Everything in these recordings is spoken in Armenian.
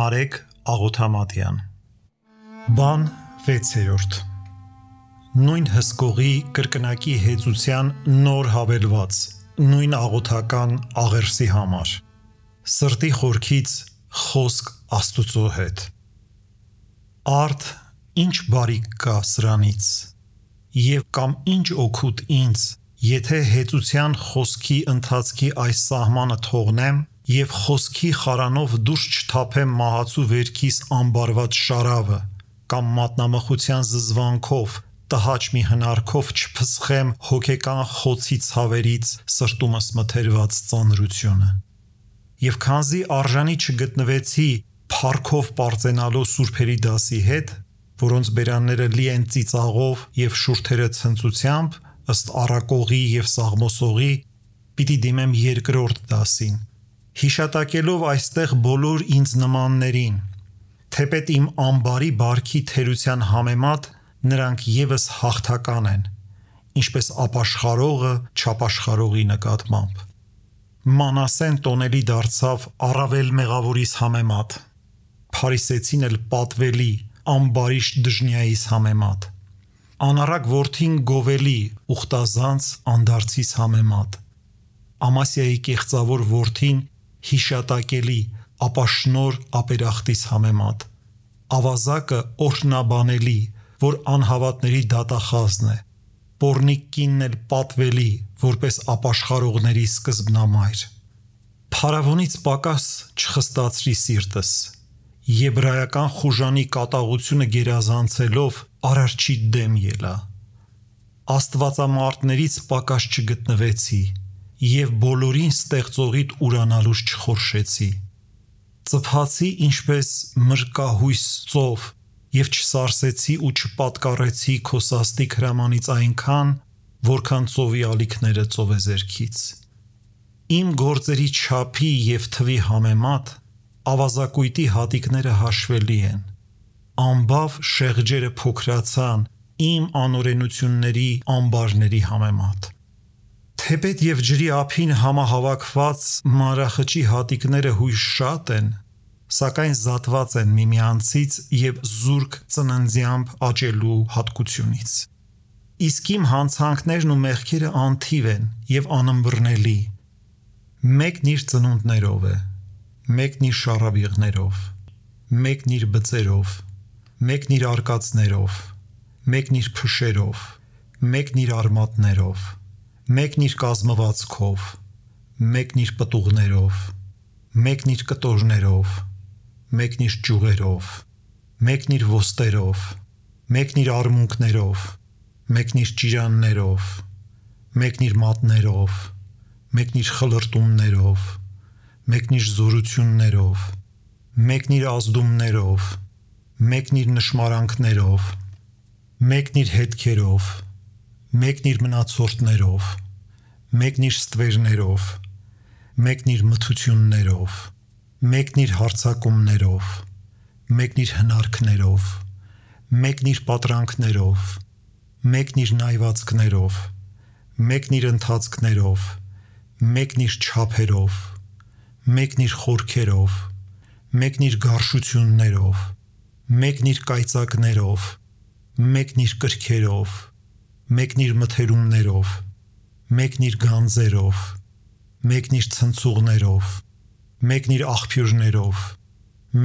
Նարեկ Աղոթամատյան Բան 6-րդ Նույն հսկողի կրկնակի հեծության նոր հավելված նույն աղոթական աղերսի համար Սրտի խորքից խոսք Աստուծո հետ Արդ ինչ բարիք կա սրանից Եվ կամ ինչ օգուտ ինձ Եթե հեծության խոսքի ընթացքի այս սահմանը թողնեմ Եվ խոսքի խարանով դուրս չթափեմ մահացու վերքիս ամբարված շարավը Կամ մատնամխության զզվանքով Տհաճ մի հնարքով չփսխեմ հոգեկան խոցի ցավերից Սրտումս մթերված ծանրությունը Եվ քանզի արժանի չգտնվեցի Փառքով պարծենալու սուրբերի դասի հետ Որոնց բերանները լի են ծիծաղով և շուրթերը ցնծությամբ Ըստ առակողի և սաղմոսողի Պիտի դիմեմ երկրորդ դասին Հիշատակելով այստեղ բոլոր ինձ նմաններին Թեպետ իմ ամբարի բարքի թերության համեմատ Նրանք ևս հաղթական են Ինչպես ապաշխարողը չապաշխարողի նկատմամբ Մանասեն տոնելի դարձավ առավել մեղավորիս համեմատ Փարիսեցին էլ պատվելի ամբարիշտ դժնիայիս համեմատ Անառակ որդին գովելի ուխտազանց անդարձիս համեմատ Ամասիայի կեղծավոր որդին հիշատակելի ապաշնոր ապերախտիս համեմատ Ավազակը օրհնաբանելի որ անհավատների դատախազն է Պոռնիկ կինն էլ պատվելի որպես ապաշխարողների սկզբնամայր Փարավոնից պակաս չխստացրի սիրտս Եբրայական խուժանի կատաղությունը գերազանցելով արարչի դեմ ելա Աստվածամարտներից պակաս չգտնվեցի Եվ բոլորին ստեղծողիդ ուրանալուց չխորշեցի Ծփացի ինչպես մրկահույս ծով Եվ չսարսեցի ու չպատկառեցի քո սաստիկ հրամանից այնքան Որքան ծովի ալիքները ծովեզերքից Իմ գործերի չափի և թվի համեմատ Ավազակույտի հատիկները հաշվելի են Ամբավ շեղջերը փոքրացան Իմ անօրենությունների ամբարների համեմատ Թեպետ և ջրի ափին համահավաքված մանրախճի հատիկները հույժ շատ են, սակայն զատված են միմյանցից և զուրկ ծննդյամբ աճելու հատկությունից։ Իսկ իմ հանցանքներն ու մեղքերը անթիվ են և անըմբռնելի։ Մեկն իր ծնունդներով է, մեկն իր շառավիղներով, մեկն իր բծերով, մեկն իր արկածներով, մեկն իր փշերով, մեկն իր արմատներով, Մեկն իր կազմվածքով, մեկն իր պտուղներով, մեկն իր կտորներով, մեկն իր ճյուղերով, մեկն իր ոստերով, մեկն իր արմունկներով, մեկն իր ճիրաններով, մեկն իր մատներով, մեկն իր խլրտումներով, մեկն իր զորություններով, մեկն իր ազդումներով, մեկն իր նշմարանքներով, մեկն իր հետքերով, Մեկն իր մնացորդներով, մեկն իր ստվերներով, մեկն իր մթություններով, մեկն իր հարձակումներով, մեկն իր հնարքներով, մեկն իր պատրանքներով, մեկն իր նայվածքներով, մեկն իր ընթացքներով, մեկն իր չափերով, մեկն իր խորքերով, մեկն իր գարշություններով, մեկն իր կայծակներով, մեկն իր կրքերով, Մեկն իր մթերումներով, մեկն իր գանձերով, մեկն իր ցնցուղներով, մեկն իր աղբյուրներով,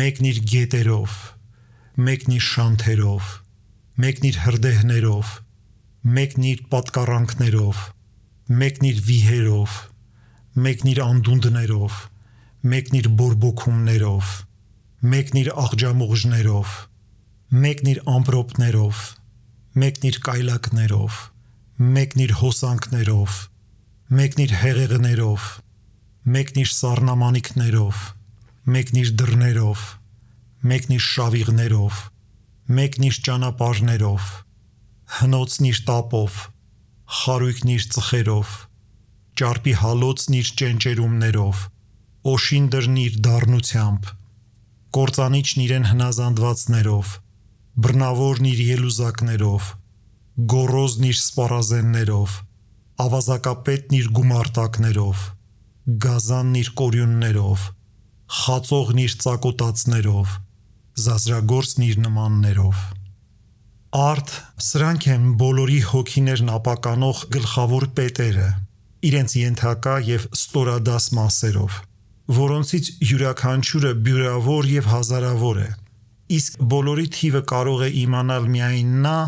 մեկն իր գետերով, մեկն իր շանթերով, մեկն իր հրդեհներով, մեկն իր պատկառանքներով, մեկն իր վիհերով, մեկն իր անդունդներով, մեկն իր բորբոքումներով, մեկն իր աղջամուղժներով, մեկն իր ամպրոպներով, Մեկն իր կայլակներով, մեկն իր հոսանքներով, մեկն իր հեղեղներով, մեկն իր սառնամանիքներով, մեկն իր դռներով, մեկն իր շավիղներով, մեկն իր ճանապարհներով, հնոցն իր տապով, խարույկն իր ծխերով, ճարպի հալոցն իր ճենճերումներով, օշին դռն իր դառնությամբ, կործանիչն իրեն հնազանդվածներով, Բռնավորն իր ելուզակներով, գոռոզն իր սպառազեններով, ավազակապետն իր գումարտակներով, գազանն իր կորյուններով, խածողն իր ծակոտածներով, զազրագործն իր նմաններով։ Արդ սրանք են բոլորի հոգիներն ապականող գլխավոր պետերը, իրենց ենթակա և ստորադաս մասերով, որոնցից յուրաքանչյուրը բյուրավոր և հազարավոր է, իսկ բոլորի թիվը կարող է իմանալ միայն նա,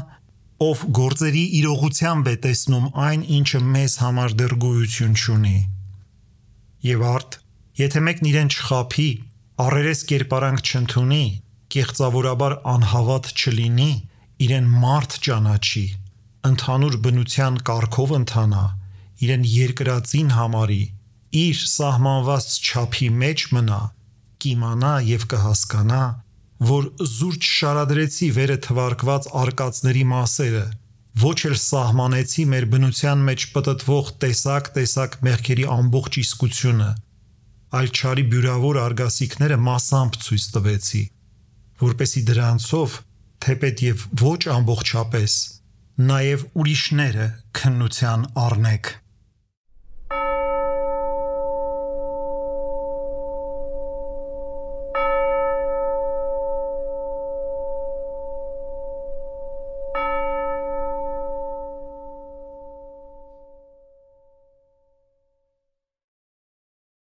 ով գործերի իրողությամբ է տեսնում այն, ինչը մեզ համար դեռ գոյություն չունի։ Եվ արդ, եթե մեկն իրեն չխաբի, առերես կերպարանք չընդունի, կեղծավորաբար անհավատ չլինի, իրեն մարդ ճանաչի, ընդհանուր բնության կարգով ընթանա, իրեն երկրածին համարի, իր սահմանված չափի մեջ մնա, կիմանա և կհասկանա, որ զուր չշարադրեցի վերը թվարկված արկածների մասերը, ոչ էլ սահմանեցի մեր բնության մեջ պտտվող տեսակ մեղքերի ամբողջ իսկությունը, այլ չարի բյուրավոր արգասիքները մասամբ ցույց տվեցի, որպեսզի դրանցով, թեպետ և ոչ ամբողջապես, նաև ուրիշները քննության առնեք։